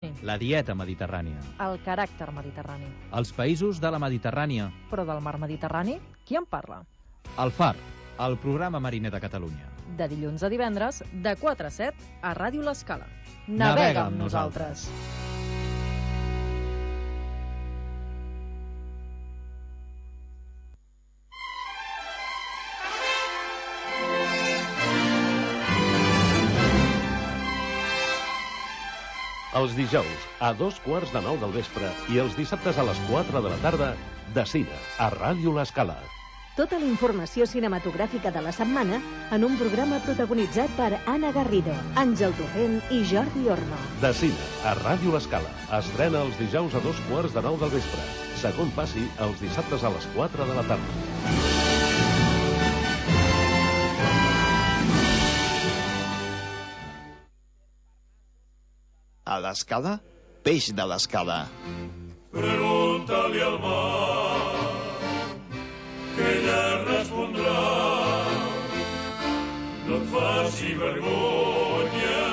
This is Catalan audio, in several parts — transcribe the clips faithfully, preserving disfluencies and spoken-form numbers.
La dieta mediterrània. El caràcter mediterrani. Els països de la Mediterrània. Però del mar Mediterrani, qui en parla? El Far, el programa mariner de Catalunya. De dilluns a divendres, de quatre a set, a Ràdio L'Escala. Navega amb nosaltres. Els dijous, a dos quarts de nou del vespre i els dissabtes a les quatre de la tarda, de cine, a Ràdio L'Escala. Tota la informació cinematogràfica de la setmana en un programa protagonitzat per Anna Garrido, Àngel Torrent i Jordi Orno. De cine, a Ràdio L'Escala. Estrena els dijous a dos quarts de nou del vespre. Segon passi, els dissabtes a les quatre de la tarda. A l'Escala, peix de l'Escala. Pregunta-li al mar, que ella respondrà. No et faci vergonya,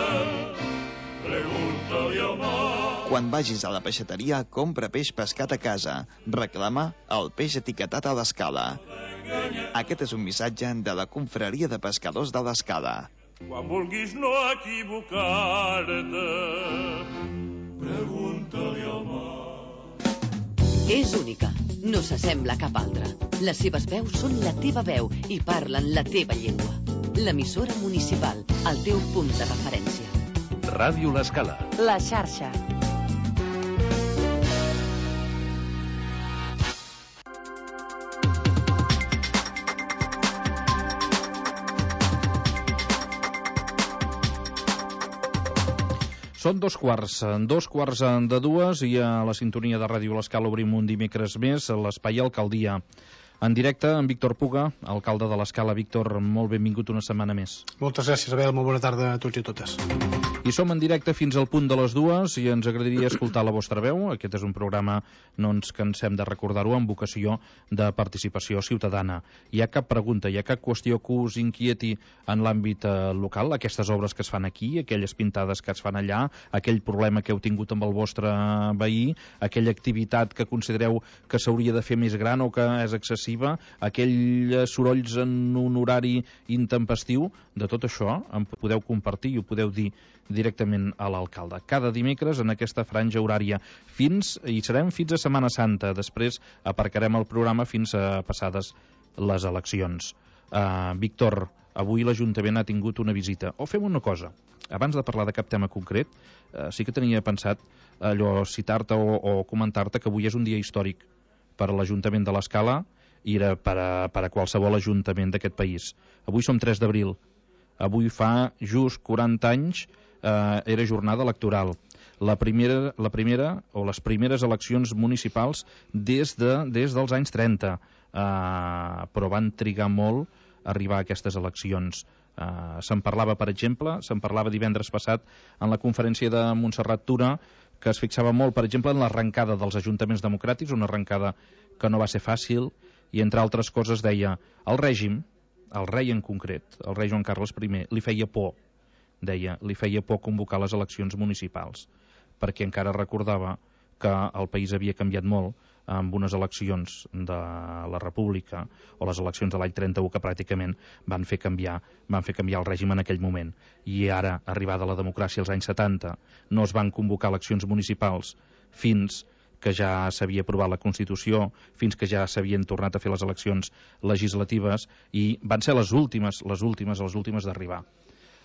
pregunta-li al mar. Quan vagis a la peixateria, compra peix pescat a casa. Reclama el peix etiquetat a l'Escala. Aquest és un missatge de la Confraria de Pescadors de l'Escala. Quan vulguis no equivocar-te, pregunta-li al mar. És única, no s'assembla a cap altra. Les seves veus són la teva veu i parlen la teva llengua. L'emissora municipal, el teu punt de referència. Ràdio L'Escala. La xarxa. Són dos quarts, dos quarts de dues i a la sintonia de Ràdio L'Escala obrim un dimecres més a l'Espai Alcaldia. En directe, en Víctor Puga, alcalde de l'Escala. Víctor, molt benvingut una setmana més. Moltes gràcies, Abel. Molt bona tarda a tots i a totes. I som en directe fins al punt de les dues i ens agradaria escoltar la vostra veu. Aquest és un programa, no ens cansem de recordar-ho, amb vocació de participació ciutadana. Hi ha cap pregunta, hi ha cap qüestió que us inquieti en l'àmbit eh, local? Aquestes obres que es fan aquí, aquelles pintades que es fan allà, aquell problema que heu tingut amb el vostre veí, aquella activitat que considereu que s'hauria de fer més gran o que és excessiva, aquells sorolls en un horari intempestiu, de tot això en podeu compartir i ho podeu dir directament a l'alcalde. Cada dimecres en aquesta franja horària fins, i serem fins a Setmana Santa. Després aparcarem el programa fins a passades les eleccions. Uh, Víctor, avui l'Ajuntament ha tingut una visita. O fem una cosa, abans de parlar de cap tema concret, uh, sí que tenia pensat allò citar-te o, o comentar-te que avui és un dia històric per a l'Ajuntament de l'Escala i era per a, per a qualsevol ajuntament d'aquest país. Avui som tres d'abril. Avui fa just quaranta anys eh, era jornada electoral. La primera, la primera o les primeres eleccions municipals des, de, des dels anys trenta. Eh, però van trigar molt a arribar a aquestes eleccions. Eh, se'n parlava, per exemple, se'n parlava divendres passat en la conferència de Montserrat Tura, que es fixava molt, per exemple, en l'arrencada dels ajuntaments democràtics, una arrencada que no va ser fàcil, i entre altres coses deia, el règim, el rei en concret, el rei Joan Carles I, li feia por, deia, li feia por convocar les eleccions municipals, perquè encara recordava que el país havia canviat molt amb unes eleccions de la República o les eleccions de l'any trenta-u que pràcticament van fer canviar van fer canviar el règim en aquell moment. I ara, arribada la democràcia als anys setanta, no es van convocar eleccions municipals fins que ja s'havia aprovat la Constitució, fins que ja s'havien tornat a fer les eleccions legislatives i van ser les últimes, les últimes, les últimes d'arribar.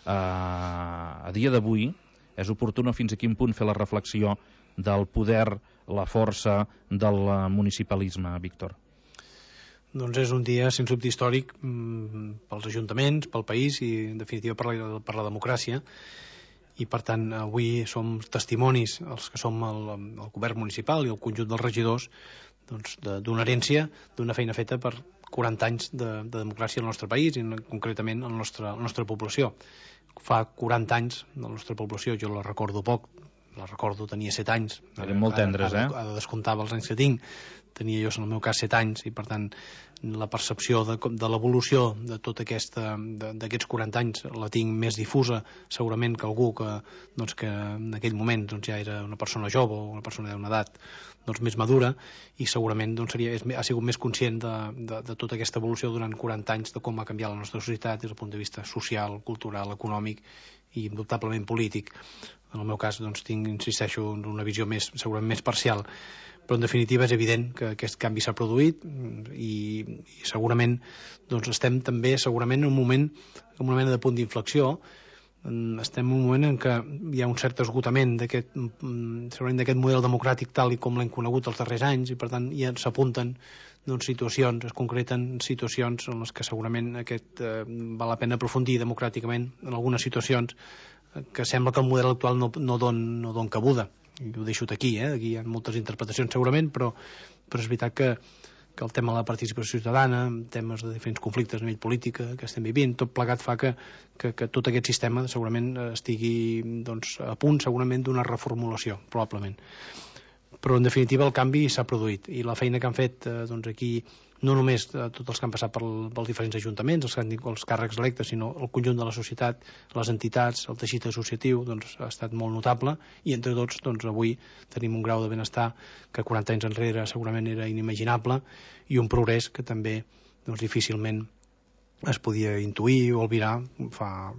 Uh, a dia d'avui és oportú fins a quin punt fer la reflexió del poder, la força del municipalisme, Víctor. Doncs és un dia, sens dubte, històric mmm, pels ajuntaments, pel país i, en definitiva, per la, per la democràcia. I, per tant, avui som testimonis, els que som el, el govern municipal i el conjunt dels regidors, doncs, d'una herència, d'una feina feta per quaranta anys de, de democràcia al nostre país i concretament a la nostra, la nostra població. Fa quaranta anys de la nostra població, jo la recordo poc, la recordo, tenia set anys. Eren molt tendres, ara, eh? Ara descomptava els anys que tinc. Tenia jo, en el meu cas, set anys, i per tant la percepció de, de l'evolució de tot aquesta, d'aquests quaranta anys la tinc més difusa, segurament, que algú que, doncs, que en aquell moment doncs, ja era una persona jove o una persona d'una edat doncs, més madura, i segurament doncs, seria, és, ha sigut més conscient de, de, de tota aquesta evolució durant quaranta anys, de com ha canviat la nostra societat des del punt de vista social, cultural, econòmic i indubtablement polític. En el meu cas doncs, tinc, insisteixo, una visió més, segurament més parcial, però en definitiva és evident que aquest canvi s'ha produït i, i segurament doncs, estem també segurament en un moment, en una mena de punt d'inflexió. Estem en un moment en què hi ha un cert esgotament d'aquest segurament d'aquest model democràtic tal i com l'hem conegut els darrers anys, i per tant ja s'apunten doncs, situacions, es concreten situacions en les que segurament aquest, eh, val la pena aprofundir democràticament en algunes situacions que sembla que el model actual no, no don, no don cabuda. I ho deixo aquí, eh? Aquí hi ha moltes interpretacions segurament, però, però és veritat que, que el tema de la participació ciutadana, temes de diferents conflictes a nivell polític que estem vivint, tot plegat fa que, que, que tot aquest sistema segurament estigui doncs, a punt segurament d'una reformulació, probablement. Però en definitiva el canvi s'ha produït, i la feina que han fet eh, doncs aquí, no només eh, tots els que han passat per pels diferents ajuntaments, els, els càrrecs electes, sinó el conjunt de la societat, les entitats, el teixit associatiu, doncs ha estat molt notable, i entre tots doncs, avui tenim un grau de benestar que quaranta anys enrere segurament era inimaginable, i un progrés que també doncs, difícilment es podia intuir o albirar fa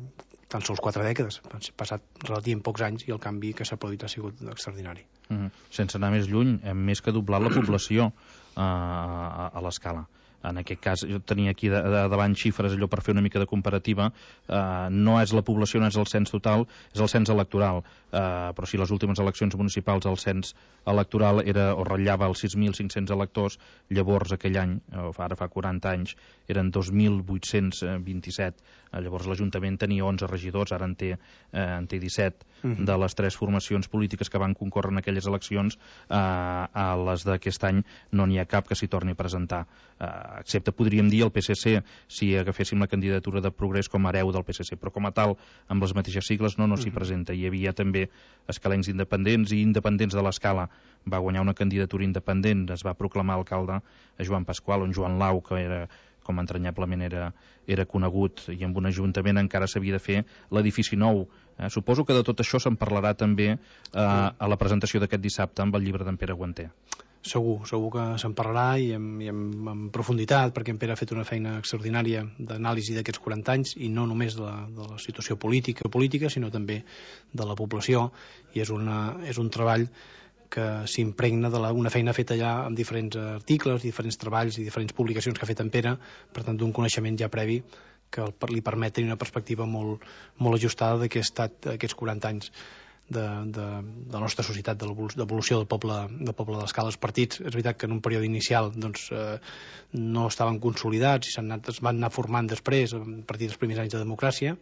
tan sols quatre dècades. Han passat relativament pocs anys i el canvi que s'ha produït ha sigut extraordinari. Mm-hmm. Sense anar més lluny, hem més que doblat la població uh, a, a l'escala. En aquest cas, jo tenia aquí de, de, davant xifres allò per fer una mica de comparativa. Uh, no és la població, no és el cens total, és el cens electoral. Uh, però si les últimes eleccions municipals el cens electoral era o ratllava els sis mil cinc-cents electors, llavors aquell any, o ara fa quaranta anys, eren dos mil vuit-cents vint-i-set. Uh, llavors l'Ajuntament tenia onze regidors, ara en té, uh, en té disset. Uh-huh. De les tres formacions polítiques que van concórrer en aquelles eleccions, uh, a les d'aquest any no n'hi ha cap que s'hi torni a presentar. Uh, excepte, podríem dir, el P S C, si agaféssim la candidatura de Progrés com a hereu del P S C, però com a tal, amb les mateixes sigles, no, no s'hi presenta. Hi havia també escalencs independents i independents de l'Escala. Va guanyar una candidatura independent, es va proclamar alcalde a Joan Pasqual, on Joan Lau, que era, com entranyablement era, era conegut, i amb un ajuntament encara s'havia de fer l'edifici nou. Eh, suposo que de tot això se'n parlarà també eh, a la presentació d'aquest dissabte amb el llibre d'en Pere Guanter. Segur, segur que se'n parlarà, i en, i en, en profunditat, perquè en Pere ha fet una feina extraordinària d'anàlisi d'aquests quaranta anys, i no només de la, de la situació política, política, sinó també de la població, i és, una, és un treball que s'impregna d'una feina feta ja amb diferents articles, diferents treballs i diferents publicacions que ha fet en Pere, per tant d'un coneixement ja previ que li permet tenir una perspectiva molt, molt ajustada de què ha estat aquests quaranta anys de, de, de la nostra societat, de l'evolució del poble, del poble de l'Escala. Els partits, és veritat que en un període inicial doncs, eh, no estaven consolidats i anat, es van anar formant després a partir dels primers anys de democràcia.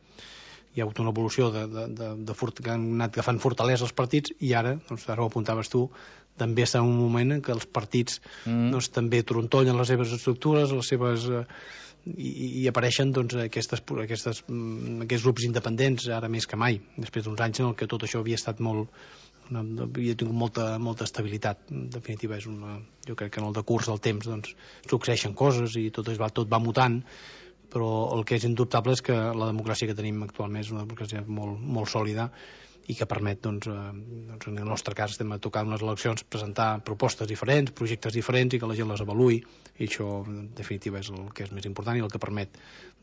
Hi ha hagut una evolució de, de, de, de fort, que han anat agafant fortalesa els partits, i ara, doncs, ara ho apuntaves tu, també està en un moment en què els partits mm. doncs, també trontollen les seves estructures, les seves... Eh, i, i apareixen doncs, aquestes, aquestes, aquests grups independents ara més que mai, després d'uns anys en què tot això havia estat molt, una, havia tingut molta, molta estabilitat. En definitiva, és una, jo crec que en el decurs del temps doncs, succeeixen coses i tot, es va, tot va mutant, però el que és indubtable és que la democràcia que tenim actualment és una democràcia molt, molt sòlida i que permet, doncs, eh, doncs, en el nostre cas estem a tocar unes eleccions, presentar propostes diferents, projectes diferents, i que la gent les avaluï, i això en definitiva és el que és més important i el que permet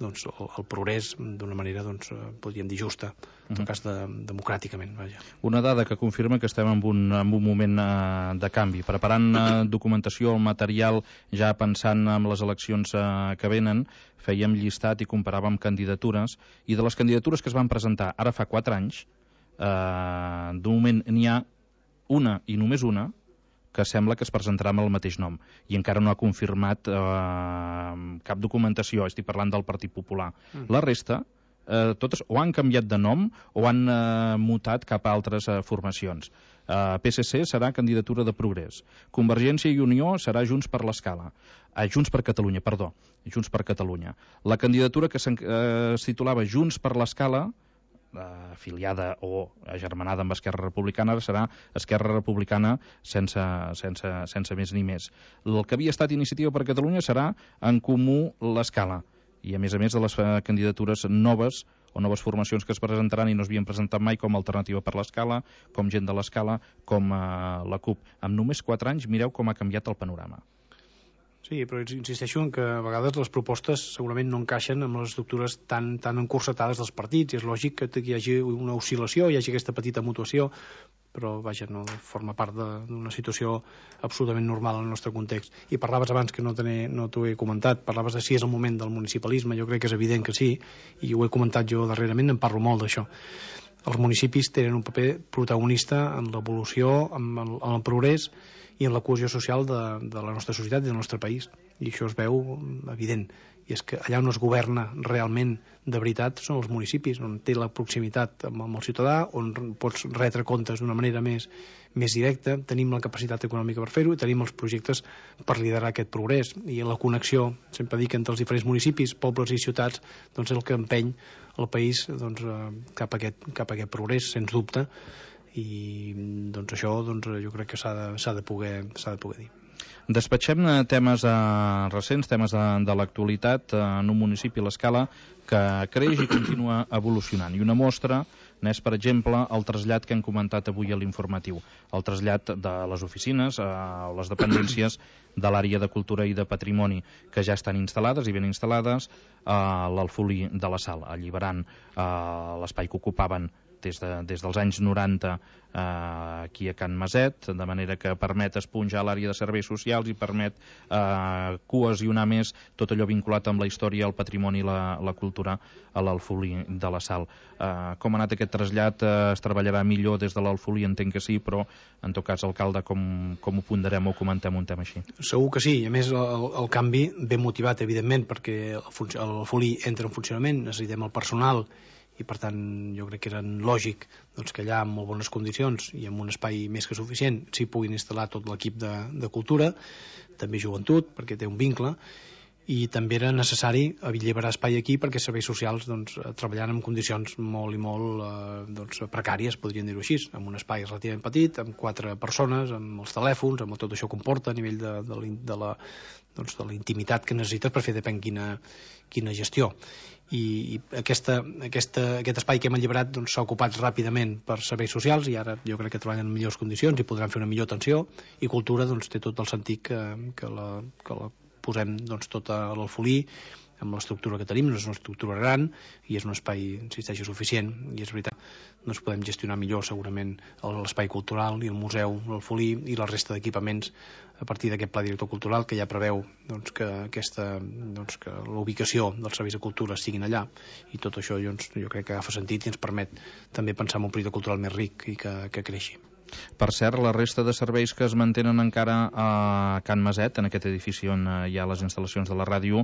doncs, el, el progrés d'una manera, doncs, podríem dir, justa, en tot cas de, democràticament. Vaja. Una dada que confirma que estem en un, en un moment eh, de canvi, preparant eh, documentació, material, ja pensant en les eleccions eh, que venen, fèiem llistat i comparàvem candidatures, i de les candidatures que es van presentar ara fa quatre anys, Uh, d'un moment n'hi ha una i només una que sembla que es presentarà amb el mateix nom, i encara no ha confirmat uh, cap documentació. Estic parlant del Partit Popular. Mm. La resta, uh, totes o han canviat de nom o han uh, mutat cap a altres uh, formacions. uh, P S C serà candidatura de Progrés, Convergència i Unió serà Junts per l'Escala, uh, Junts per Catalunya, perdó, Junts per Catalunya. La candidatura que es uh, titulava Junts per l'Escala, afiliada o agermanada amb Esquerra Republicana, ara serà Esquerra Republicana sense, sense, sense més ni més. El que havia estat Iniciativa per Catalunya serà En Comú l'Escala, i a més a més de les candidatures noves o noves formacions que es presentaran i no es havien presentat mai, com Alternativa per l'Escala, com Gent de l'Escala, com eh, la CUP. Amb només quatre anys mireu com ha canviat el panorama. Sí, però insisteixo en que a vegades les propostes segurament no encaixen amb les estructures tan, tan encursetades dels partits, i és lògic que hi hagi una oscil·lació, hi hagi aquesta petita mutuació, però vaja, no forma part d'una situació absolutament normal en el nostre context. I parlaves abans, que no, no t'ho he comentat, parlaves de si és el moment del municipalisme. Jo crec que és evident que sí, i ho he comentat jo darrerament, en parlo molt d'això. Els municipis tenen un paper protagonista en l'evolució, en el, en el progrés i en la cohesió social de, de la nostra societat i del nostre país, i això es veu evident. I és que allà on es governa realment de veritat són els municipis, on té la proximitat amb, amb el ciutadà, on pots retre comptes d'una manera més, més directa, tenim la capacitat econòmica per fer-ho i tenim els projectes per liderar aquest progrés. I la connexió, sempre dic, entre els diferents municipis, pobles i ciutats, doncs és el que empeny el país doncs, cap, a aquest, cap a aquest progrés, sens dubte, i doncs això doncs, jo crec que s'ha de, s'ha de, poder, s'ha de poder dir. Despatxem temes eh, recents, temes de, de l'actualitat eh, en un municipi, l'Escala, que creix i continua evolucionant. I una mostra n'és, per exemple, el trasllat que hem comentat avui a l'informatiu. El trasllat de les oficines a eh, les dependències de l'àrea de cultura i de patrimoni, que ja estan instal·lades i ben instal·lades a l'Alfolí de la Sal, alliberant eh, l'espai que ocupaven des, de, des dels anys noranta eh, aquí a Can Maset, de manera que permet esponjar l'àrea de serveis socials i permet eh, cohesionar més tot allò vinculat amb la història, el patrimoni i la, la cultura a l'Alfolí de la Sal. Eh, com ha anat aquest trasllat? Eh, es treballarà millor des de l'Alfolí? Entenc que sí, però en tot cas, alcalde, com, com ho ponderem o comentem un tema així? Segur que sí, i a més el, el canvi ben motivat, evidentment, perquè l'Alfolí entra en funcionament, necessitem el personal, i per tant jo crec que era lògic doncs, que allà, amb molt bones condicions i amb un espai més que suficient, s'hi puguin instal·lar tot l'equip de, de cultura, també joventut, perquè té un vincle, i també era necessari alliberar espai aquí perquè serveis socials doncs, treballant en condicions molt i molt eh, doncs, precàries, podríem dir-ho així, amb un espai relativament petit, amb quatre persones, amb els telèfons, amb tot això comporta a nivell de, de, la, de, la, doncs, de la intimitat que necessites per fer depèn quina, quina gestió. I, i aquesta, aquesta, aquest espai que hem alliberat doncs, s'ha ocupat ràpidament per serveis socials i ara jo crec que treballen en millors condicions i podran fer una millor atenció, i cultura doncs, té tot el sentit que, que, la, que la posem doncs, tot a l'Alfolí amb l'estructura que tenim. No és una estructura gran i és un espai, insisteixo, suficient, i és veritat, doncs podem gestionar millor segurament l'espai cultural i el museu, l'Alfolí i la resta d'equipaments a partir d'aquest pla director cultural que ja preveu doncs, que, aquesta, doncs, que l'ubicació dels serveis de cultura siguin allà, i tot això doncs, jo crec que agafa sentit i ens permet també pensar en un projecte cultural més ric i que, que creixi. Per cert, la resta de serveis que es mantenen encara a Can Maset, en aquest edifici on hi ha les instal·lacions de la ràdio,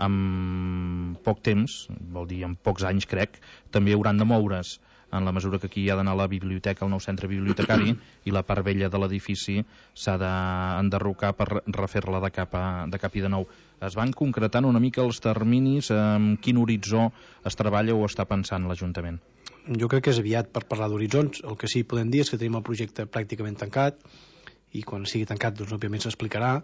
amb poc temps, vol dir en pocs anys crec, també hauran de moure's, en la mesura que aquí hi ha d'anar a la biblioteca, el nou centre bibliotecari, i la part vella de l'edifici s'ha d'enderrocar per refer-la de, cap a, de cap i de nou. Es van concretant una mica els terminis, amb quin horitzó es treballa o està pensant l'Ajuntament? Jo crec que és aviat per parlar d'horitzons. El que sí que podem dir és que tenim el projecte pràcticament tancat, i quan sigui tancat doncs òbviament s'explicarà.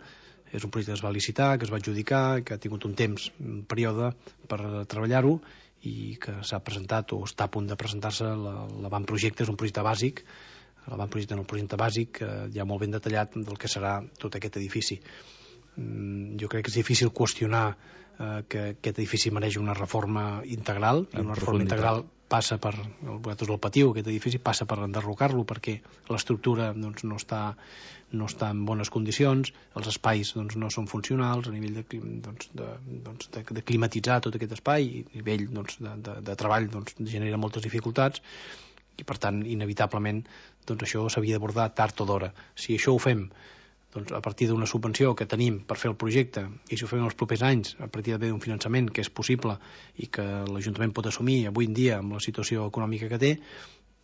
És un projecte que es va licitar, que es va adjudicar, que ha tingut un temps, un període per treballar-ho, i que s'ha presentat o està a punt de presentar-se l'avantprojecte. És un projecte bàsic, l'avantprojecte no, el projecte bàsic ja molt ben detallat del que serà tot aquest edifici. Jo crec que és difícil qüestionar eh, que aquest edifici mereix una reforma integral, i una reforma integral passa per, vosaltres el patiu, aquest edifici passa per enderrocar-lo perquè l'estructura doncs, no, està, no està en bones condicions, els espais doncs, no són funcionals a nivell de, doncs, de, doncs, de, de climatitzar tot aquest espai, i a nivell doncs, de, de, de treball doncs, genera moltes dificultats, i per tant inevitablement doncs, això s'havia d'abordar tard o d'hora. Si això ho fem doncs, a partir d'una subvenció que tenim per fer el projecte, i si ho fem els propers anys a partir d'un finançament que és possible i que l'Ajuntament pot assumir avui en dia amb la situació econòmica que té,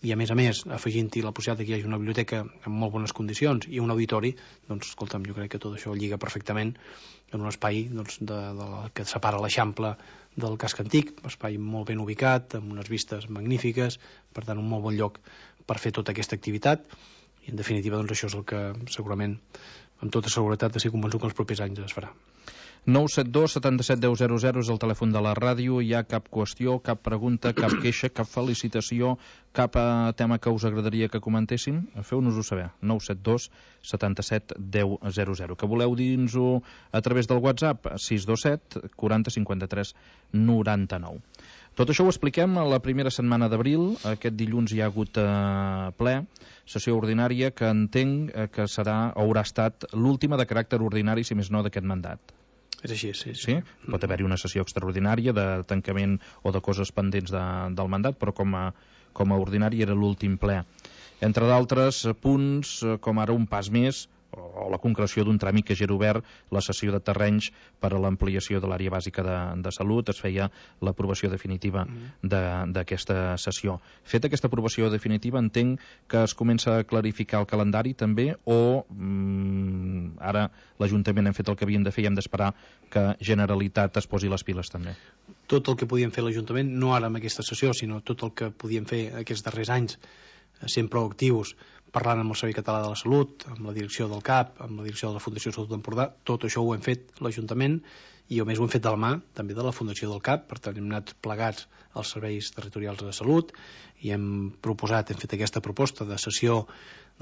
i a més a més afegint-hi la possibilitat que hi hagi una biblioteca en molt bones condicions i un auditori, doncs escolta'm, jo crec que tot això lliga perfectament en un espai doncs, de, de la, que separa l'Eixample del casc antic, un espai molt ben ubicat, amb unes vistes magnífiques, per tant un molt bon lloc per fer tota aquesta activitat, i en definitiva doncs, això és el que segurament amb tota seguretat estic convençut que els propers anys es farà. nou set dos setanta-set deu zero zero és el telèfon de la ràdio. Hi ha cap qüestió, cap pregunta, cap queixa, cap felicitació, cap eh, tema que us agradaria que comentéssim? Feu-nos-ho saber. nou set dos setanta-set deu zero zero. Que voleu dir-nos-ho a través del WhatsApp? sis dos set quaranta cinquanta-tres noranta-nou. Tot això ho expliquem a la primera setmana d'abril. Aquest dilluns hi ha hagut eh, ple, sessió ordinària, que entenc eh, que serà o haurà estat l'última de caràcter ordinari, si més no, d'aquest mandat. És així, sí. sí? sí? Pot haver-hi una sessió extraordinària de tancament o de coses pendents de, del mandat, però com a, com a ordinari era l'últim ple. Entre d'altres punts, com ara un pas més, o la concreció d'un tràmit que ja era obert, la cessió de terrenys per a l'ampliació de l'àrea bàsica de, de salut, es feia l'aprovació definitiva d'aquesta sessió. Feta aquesta aprovació definitiva, entenc que es comença a clarificar el calendari també, o mm, ara l'Ajuntament hem fet el que havien de fer i hem d'esperar que Generalitat es posi les piles també? Tot el que podíem fer l'Ajuntament, no ara amb aquesta sessió, sinó tot el que podíem fer aquests darrers anys, sent proactius, parlant amb el Servei Català de la Salut, amb la direcció del C A P, amb la direcció de la Fundació Salut d'Empordà, tot això ho hem fet l'Ajuntament i a més ho hem fet de la mà també de la Fundació del C A P, per tant hem anat plegats als serveis territorials de salut i hem proposat, hem fet aquesta proposta de sessió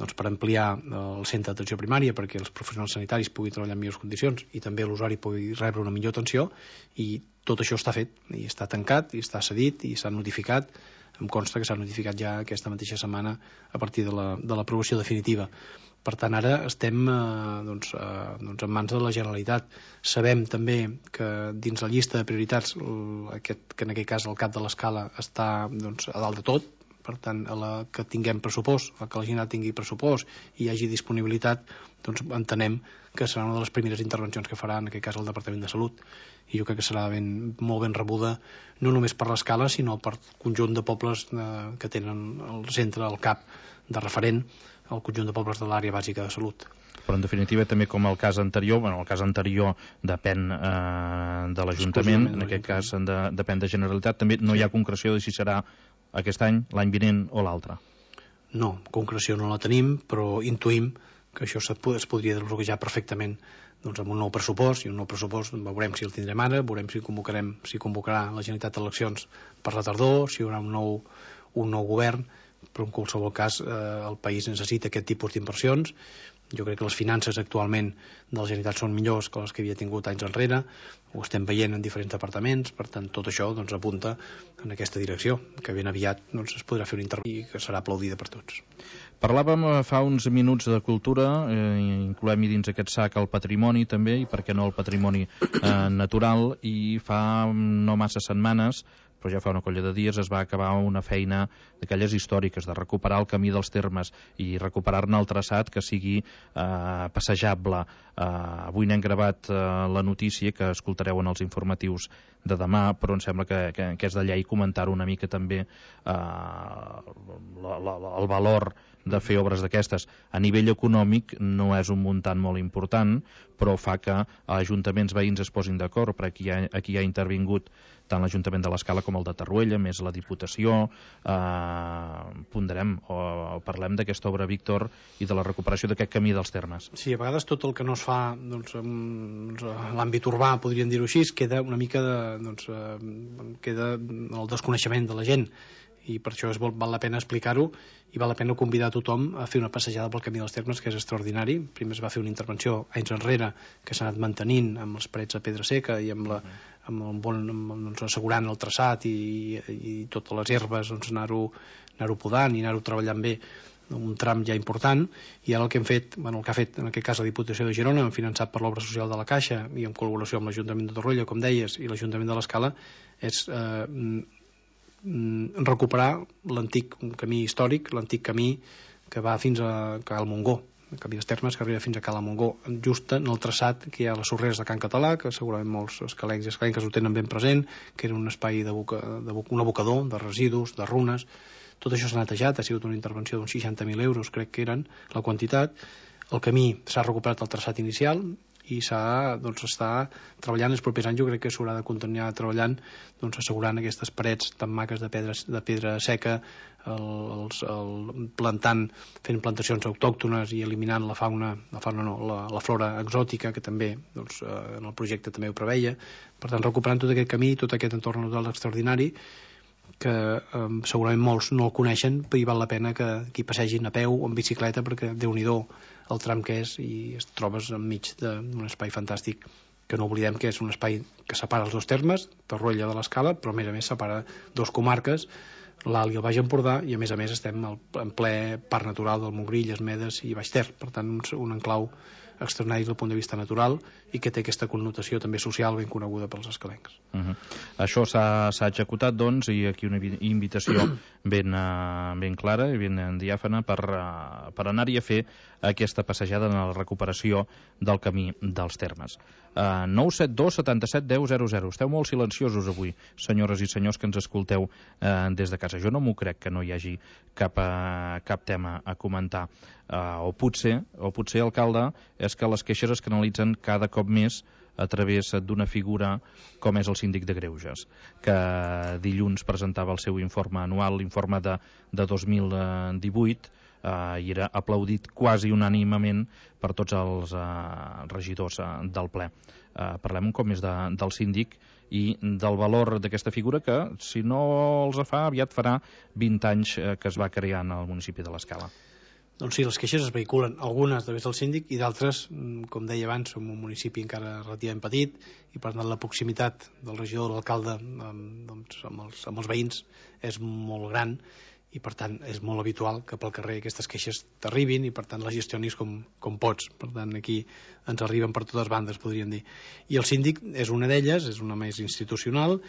doncs, per ampliar el centre d'atenció primària perquè els professionals sanitaris puguin treballar en millors condicions i també l'usuari pugui rebre una millor atenció, i tot això està fet i està tancat i està cedit i s'ha notificat. Em consta que s'ha notificat ja aquesta mateixa setmana a partir de la, de l'aprovació definitiva. Per tant, ara estem eh, doncs, eh, doncs en mans de la Generalitat. Sabem també que dins la llista de prioritats, aquest, que en aquest cas el cap de l'escala està doncs, a dalt de tot, per tant, a la que tinguem pressupost, a que la Generalitat tingui pressupost i hi hagi disponibilitat, doncs entenem que serà una de les primeres intervencions que farà, en aquest cas, el Departament de Salut. I jo crec que serà ben, molt ben rebuda, no només per l'escala, sinó per conjunt de pobles eh, que tenen el centre, el C A P de referent, el conjunt de pobles de l'àrea bàsica de salut. Però en definitiva també com el cas anterior, bueno, el cas anterior depèn eh, de l'Ajuntament, en aquest cas de, depèn de Generalitat, també no hi ha concreció de si serà aquest any, l'any vinent o l'altre. No, concreció no la tenim, però intuïm que això es podria desbloquejar perfectament doncs, amb un nou pressupost, i un nou pressupost veurem si el tindrem ara, veurem si convocarem, si convocarà la Generalitat eleccions per la tardor, si hi haurà un nou, un nou govern, però en qualsevol cas eh, el país necessita aquest tipus d'inversions. Jo crec que les finances actualment de la Generalitat són millors que les que havia tingut anys enrere, ho estem veient en diferents departaments, per tant tot això doncs, apunta en aquesta direcció, que ben aviat doncs, es podrà fer una intervenció que serà aplaudida per tots. Parlàvem fa uns minuts de cultura, eh, incloem-hi dins aquest sac el patrimoni també, i per què no el patrimoni eh, natural, i fa no massa setmanes, però ja fa una colla de dies, es va acabar una feina d'aquelles històriques, de recuperar el camí dels termes i recuperar-ne el traçat que sigui eh, passejable. Eh, avui n'hem gravat eh, la notícia que escoltareu en els informatius de demà, però em sembla que, que, que és de llei comentar una mica també eh, la, la, el valor de fer obres d'aquestes. A nivell econòmic no és un muntant molt important, però fa que ajuntaments veïns es posin d'acord, perquè aquí ha, aquí ha intervingut tant l'Ajuntament de l'Escala com el de Tarruella, més la Diputació, eh, ponderem o, o parlem d'aquesta obra, Víctor, i de la recuperació d'aquest camí dels termes. Sí, a vegades tot el que no es fa doncs, en l'àmbit urbà, podríem dir-ho així, queda una mica de, doncs, eh, queda el desconeixement de la gent, i per això és, val la pena explicar-ho i val la pena convidar a tothom a fer una passejada pel camí dels termes, que és extraordinari. Primer es va fer una intervenció anys enrere que s'ha anat mantenint amb els parets de pedra seca i amb, la, amb el bon, amb, doncs, assegurant el traçat i, i totes les herbes, doncs, anar-ho anar-ho podant i anar-ho treballant bé, un tram ja important. I ara el que hem fet, bueno, el que ha fet en aquest cas la Diputació de Girona, finançat per l'obra social de la Caixa i en col·laboració amb l'Ajuntament de Torroella, com deies, i l'Ajuntament de l'Escala, és eh, recuperar l'antic camí històric, l'antic camí que va fins a Cal Montgó, el camí dels termes que arriba fins a Cala Montgó, just en el traçat que hi ha a les sorreres de Can Català, que segurament molts escalencs i escalenques ho tenen ben present, que era un espai de, boca, de boca, un abocador de residus, de runes, tot això s'ha netejat, ha sigut una intervenció d'uns seixanta mil euros, crec que eren la quantitat. El camí s'ha recuperat el traçat inicial i s'ha, doncs, està treballant els propers anys. Jo crec que s'haurà de continuar treballant, doncs, assegurant aquestes parets tan maques de pedra, de pedra seca, el, els, el, plantant, fent plantacions autòctones i eliminant la fauna, la fauna no, la, la flora exòtica, que també, doncs, en el projecte també ho preveia. Per tant, recuperant tot aquest camí, tot aquest entorn natural extraordinari, que eh, segurament molts no el coneixen, però hi val la pena que, que hi passegin a peu o en bicicleta, perquè Déu-n'hi-do el tram que és, i es trobes enmig d'un espai fantàstic, que no oblidem que és un espai que separa els dos termes, Torroella de l'Escala, però a més a més separa dos comarques, l'Alt i el Baix Empordà, i a més a més estem en ple parc natural del Montgrí, Illes Medes i Baix Ter. Per tant, un, un enclau extraordinari des del punt de vista natural i que té aquesta connotació també social ben coneguda pels escalencs. Uh -huh. Això s'ha executat, doncs, i aquí una invitació ben, uh, ben clara i ben diàfana per, uh, per anar-hi a fer aquesta passejada en la recuperació del camí dels termes. Uh, nou set dos setanta set deu zero zero. Esteu molt silenciosos avui, senyores i senyors que ens escolteu uh, des de casa. Jo no m'ho crec que no hi hagi cap, uh, cap tema a comentar. Uh, o potser, o potser, alcalde, és que les queixes es canalitzen cada cop més a través d'una figura com és el síndic de Greuges, que dilluns presentava el seu informe anual, l'informe de, de dos mil divuit, Uh, i era aplaudit quasi unànimement per tots els uh, regidors uh, del ple. Uh, parlem un cop més de, del síndic i del valor d'aquesta figura que, si no els fa, aviat farà vint anys uh, que es va crear en el municipi de l'Escala. Doncs sí, les queixes es vehiculen, algunes a través del síndic i d'altres, com deia abans, som un municipi encara relativament petit i per tant la proximitat del regidor o l'alcalde amb, doncs, amb, els, amb els veïns és molt gran i per tant és molt habitual que pel carrer aquestes queixes t'arribin i per tant les gestionis com, com pots. Per tant aquí ens arriben per totes bandes, podríem dir. I el síndic és una d'elles, és una més institucional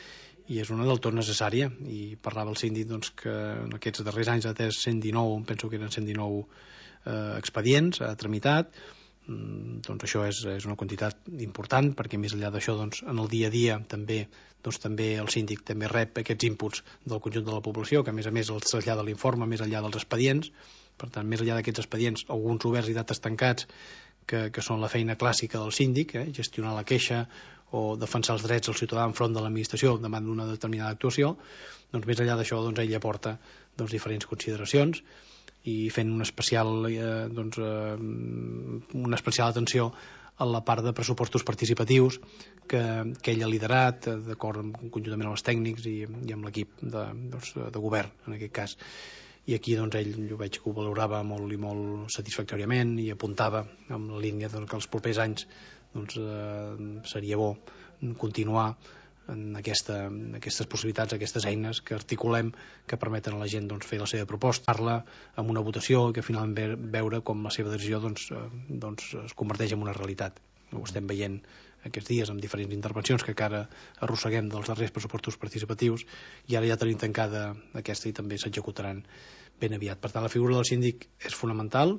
i és una del tot necessària, i parlava el síndic doncs, que en aquests darrers anys ha atès cent dinou, penso que eren cent dinou eh, expedients, ha tramitat. Mm, doncs això és, és una quantitat important, perquè més enllà d'això doncs, en el dia a dia també, doncs, també el síndic també rep aquests inputs del conjunt de la població, que a més a més els trasllada l'informe més enllà dels expedients. Per tant, més enllà d'aquests expedients, alguns oberts i dates tancats, que, que són la feina clàssica del síndic, eh, gestionar la queixa o defensar els drets del ciutadà enfront de l'administració davant d'una determinada actuació, doncs més enllà d'això doncs, ell aporta doncs, diferents consideracions i fent una especial, eh, doncs, eh, una especial atenció a la part de pressupostos participatius que, que ell ha liderat, d'acord amb, conjuntament amb els tècnics i, i amb l'equip de, doncs, de govern, en aquest cas. I aquí doncs, ell jo veig que ho valorava molt i molt satisfactòriament i apuntava amb la línia doncs, que els propers anys doncs, eh, seria bo continuar en, aquesta, en aquestes possibilitats, aquestes eines que articulem, que permeten a la gent doncs, fer la seva proposta, parlar amb una votació i que finalment ve, veure com la seva decisió doncs, eh, doncs, es converteix en una realitat. Ho estem veient aquests dies amb diferents intervencions que encara arrosseguem dels darrers pressupostos participatius i ara ja tenim tancada aquesta i també s'executaran ben aviat. Per tant, la figura del síndic és fonamental,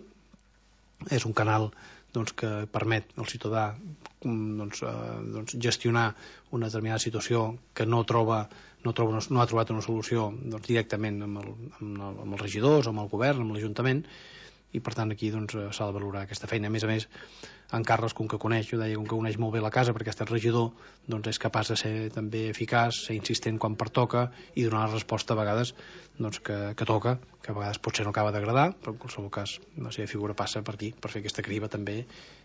és un canal doncs, que permet al ciutadà doncs, eh, doncs, gestionar una determinada situació que no troba, no, troba una, no ha trobat una solució doncs, directament amb, el, amb, el, amb els regidors, amb el govern, amb l'Ajuntament, i per tant aquí doncs, s'ha de valorar aquesta feina. A més a més, en Carles, com que coneix, jo deia, com que coneix molt bé la casa perquè ha estat regidor, doncs és capaç de ser també eficaç, ser insistent quan pertoca i donar la resposta a vegades doncs, que, que toca, que a vegades potser no acaba d'agradar, però en qualsevol cas la seva figura passa per aquí, per fer aquesta criba també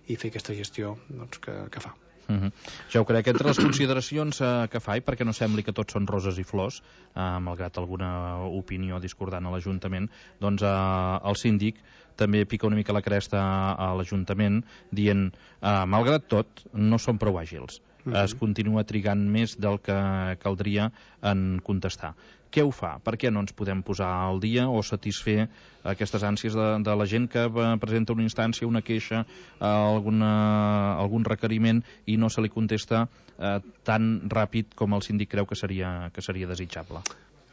i fer aquesta gestió doncs, que, que fa. Uh -huh. Ja ho crec, entre les consideracions eh, que fa, i perquè no sembli que tots són roses i flors, eh, malgrat alguna opinió discordant a l'Ajuntament, doncs eh, el síndic també pica una mica la cresta a l'Ajuntament dient, eh, malgrat tot, no són prou àgils. Uh -huh. Es continua trigant més del que caldria en contestar. Què ho fa? Per què no ens podem posar al dia o satisfer aquestes ànsies de, de la gent que presenta una instància, una queixa, alguna, algun requeriment i no se li contesta eh, tan ràpid com el síndic creu que seria, que seria desitjable?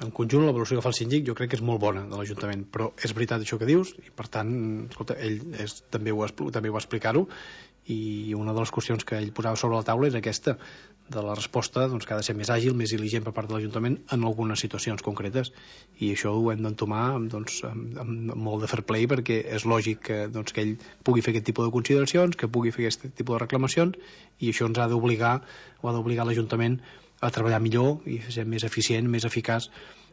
En conjunt, la valoració que fa el síndic jo crec que és molt bona de l'Ajuntament, però és veritat això que dius i per tant, escolta, ell és, també, ho, també ho va explicar-ho i una de les qüestions que ell posava sobre la taula era aquesta, de la resposta doncs, que ha de ser més àgil, més diligent per part de l'Ajuntament en algunes situacions concretes, i això ho hem d'entomar doncs, amb, amb molt de fair play, perquè és lògic que, doncs, que ell pugui fer aquest tipus de consideracions, que pugui fer aquest tipus de reclamacions, i això ens ha d'obligar o ha d'obligar l'Ajuntament a treballar millor i ser més eficient, més eficaç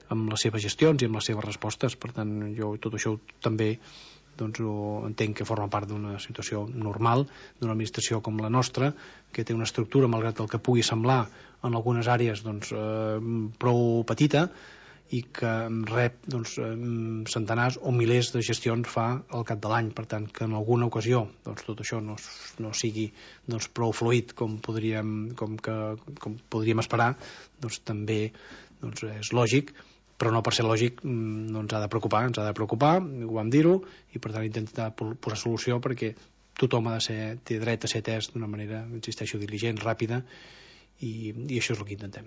amb les seves gestions i amb les seves respostes. Per tant, jo tot això també doncs ho entenc que forma part d'una situació normal d'una administració com la nostra, que té una estructura, malgrat el que pugui semblar en algunes àrees doncs, eh, prou petita, i que rep doncs, centenars o milers de gestions fa al cap de l'any. Per tant, que en alguna ocasió doncs, tot això no, no sigui doncs, prou fluid com podríem, com que, com podríem esperar, doncs també doncs, és lògic, però no per ser lògic no ens ha de preocupar, ens ha de preocupar, ho vam dir-ho, i per tant intentar posar solució, perquè tothom ha de ser, té dret a ser atès d'una manera, insisteixo, diligent, ràpida, i, i això és el que intentem.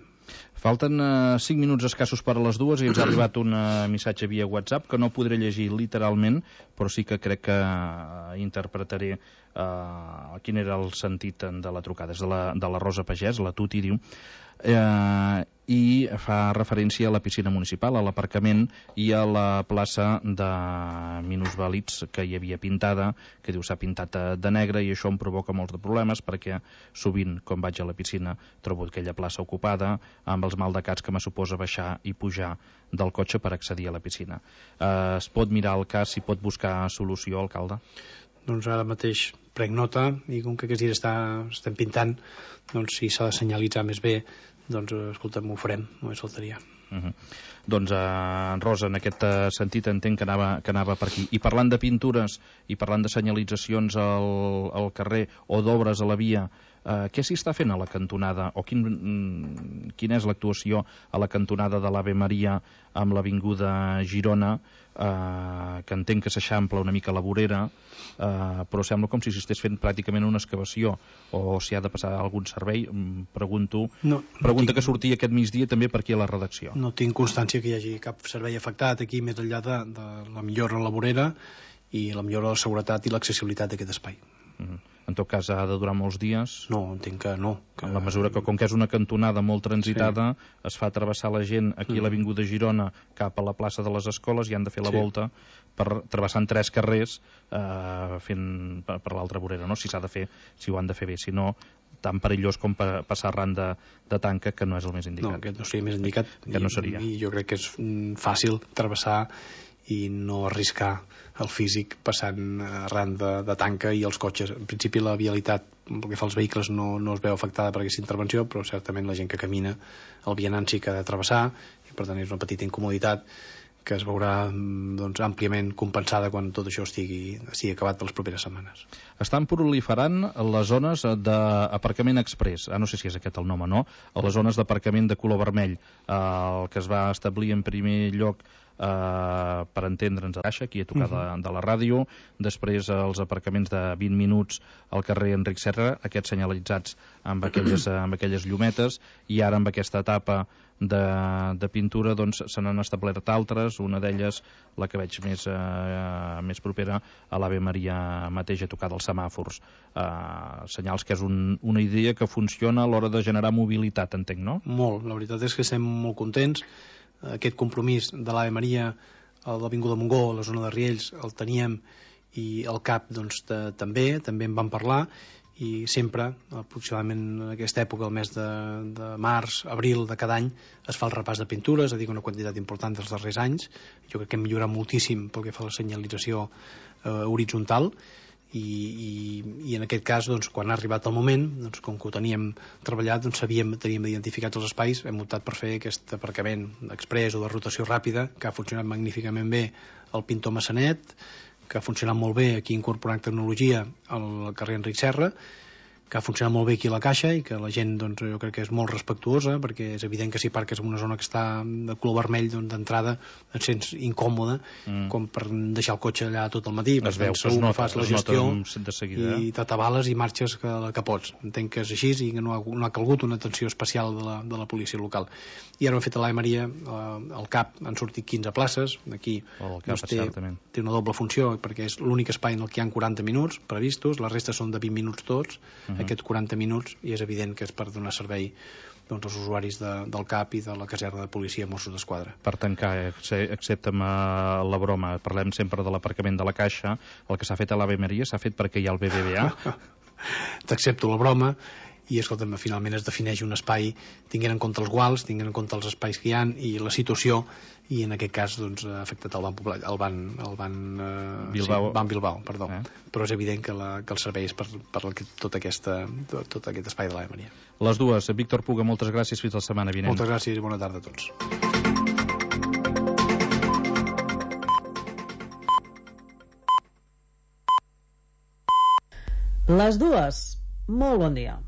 Falten uh, cinc minuts escassos per a les dues i ens ha arribat un uh, missatge via WhatsApp que no podré llegir literalment, però sí que crec que uh, interpretaré uh, quin era el sentit de la trucada. És de la, de la Rosa Pagès, la Tuti, diu, eh, i fa referència a la piscina municipal, a l'aparcament i a la plaça de minusvàlids que hi havia pintada, que diu s'ha pintat de negre, i això em provoca molts de problemes perquè sovint, quan vaig a la piscina, trobo aquella plaça ocupada amb els maldecats que me suposa baixar i pujar del cotxe per accedir a la piscina. Eh, es pot mirar el cas, si pot buscar solució, alcalde? Doncs ara mateix prenc nota, i com que aquests dies està, estem pintant, doncs si s'ha de senyalitzar més bé, doncs escolta'm, ho farem, només faltaria. Uh -huh. Doncs, eh, Rosa, en aquest sentit entenc que anava, que anava per aquí. I parlant de pintures i parlant de senyalitzacions al, al carrer o d'obres a la via, eh, què s'hi està fent a la cantonada, o quin, quina és l'actuació a la cantonada de l'Ave Maria amb l'avinguda Girona, eh, que entenc que s'eixampla una mica la vorera, eh, però sembla com si s'estés fent pràcticament una excavació, o si ha de passar algun servei. Pregunto, no, pregunta no tinc... que sortia aquest migdia també per aquí a la redacció. No tinc constància que hi hagi cap servei afectat aquí, més enllà de, de la millora en la vorera i la millora de la seguretat i l'accessibilitat d'aquest espai. Uh-huh. En tot cas, ha de durar molts dies? No, entenc que no. Que... En la mesura que, com que és una cantonada molt transitada, sí, es fa travessar la gent aquí a l'avinguda Girona cap a la plaça de les Escoles, i han de fer la sí. volta per travessant tres carrers eh, fent per, per l'altra vorera, no? Si s'ha de fer, si ho han de fer bé, si no, tan perillós com pa, passar arran de, de tanca, que no és el més indicat. No, aquest no seria més indicat. Que no seria. I, i jo crec que és fàcil travessar i no arriscar el físic passant arran de, de tanca i els cotxes. En principi la vialitat, pel que fa als vehicles, no, no es veu afectada per aquesta intervenció, però certament la gent que camina, el vianant sí que ha de travessar, i per tant és una petita incomoditat que es veurà doncs, àmpliament compensada quan tot això estigui, estigui acabat per les properes setmanes. Estan proliferant les zones d'aparcament express, ah, no sé si és aquest el nom o no, a les zones d'aparcament de color vermell, eh, el que es va establir en primer lloc Uh, per entendre'ns a Baixa, aquí a tocar uh-huh. de, de la ràdio, després els aparcaments de vint minuts al carrer Enric Serra, aquests senyalitzats amb aquelles, amb aquelles llumetes, i ara amb aquesta etapa de, de pintura doncs se n'han establert altres, una d'elles la que veig més, uh, més propera a l'Ave Maria mateix, a tocar dels semàfors, uh, senyals que és un, una idea que funciona a l'hora de generar mobilitat, entenc, no? Molt, la veritat és que estem molt contents. Aquest compromís de l'Ave Maria a l'Avinguda Montgó, a la zona de Riells, el teníem, i el C A P doncs, de, també, també en vam parlar, i sempre, aproximadament en aquesta època, el mes de, de març, abril de cada any, es fa el repàs de pintures, és a dir, una quantitat important dels darrers anys. Jo crec que hem millorat moltíssim pel que fa a la senyalització eh, horitzontal, I, i, i en aquest cas, doncs, quan ha arribat el moment, doncs, com que ho teníem treballat, doncs, sabíem, teníem identificats els espais, hem optat per fer aquest aparcament express o de rotació ràpida, que ha funcionat magníficament bé al Pintor Massanet, que ha funcionat molt bé aquí incorporant tecnologia al carrer Enric Serra, que ha funcionat molt bé aquí a la Caixa i que la gent, doncs, jo crec que és molt respectuosa, perquè és evident que si parques en una zona que està de color vermell, doncs, d'entrada et sents incòmode, mm. com per deixar el cotxe allà tot el matí, es veu, segur que fas la gestió de seguida, i t'atabales i marxes que, que pots. Entenc que és així i que no ha, no ha calgut una atenció especial de la, de la policia local. I ara ho hem fet a l'Ave Maria, eh, al CAP han sortit quinze places, aquí oh, cap, doncs, té, té una doble funció, perquè és l'únic espai en el que hi ha quaranta minuts previstos, la resta són de vint minuts tots, uh -huh. aquests quaranta minuts, i és evident que és per donar servei, doncs, als usuaris de, del CAP i de la caserna de policia Mossos d'Esquadra. Per tancar, accepta'm la broma, parlem sempre de l'aparcament de la Caixa, el que s'ha fet a l'Ave Maria s'ha fet perquè hi ha el B B V A. T'accepto la broma, i escolta'm, finalment es defineix un espai tinguent en compte els guals, tinguent en compte els espais que hi ha i la situació, i en aquest cas doncs, ha afectat el Ban Popular, el Ban, el Ban, eh, Bilbao. Sí, Ban Bilbao, perdó. Eh? Però és evident que, la, que el servei és per, per tot, aquesta, tot, tot aquest espai de l'Ave Maria. Les dues. Víctor Puga, moltes gràcies, fins la setmana vinent. Moltes gràcies i bona tarda a tots. Les dues. Molt bon dia.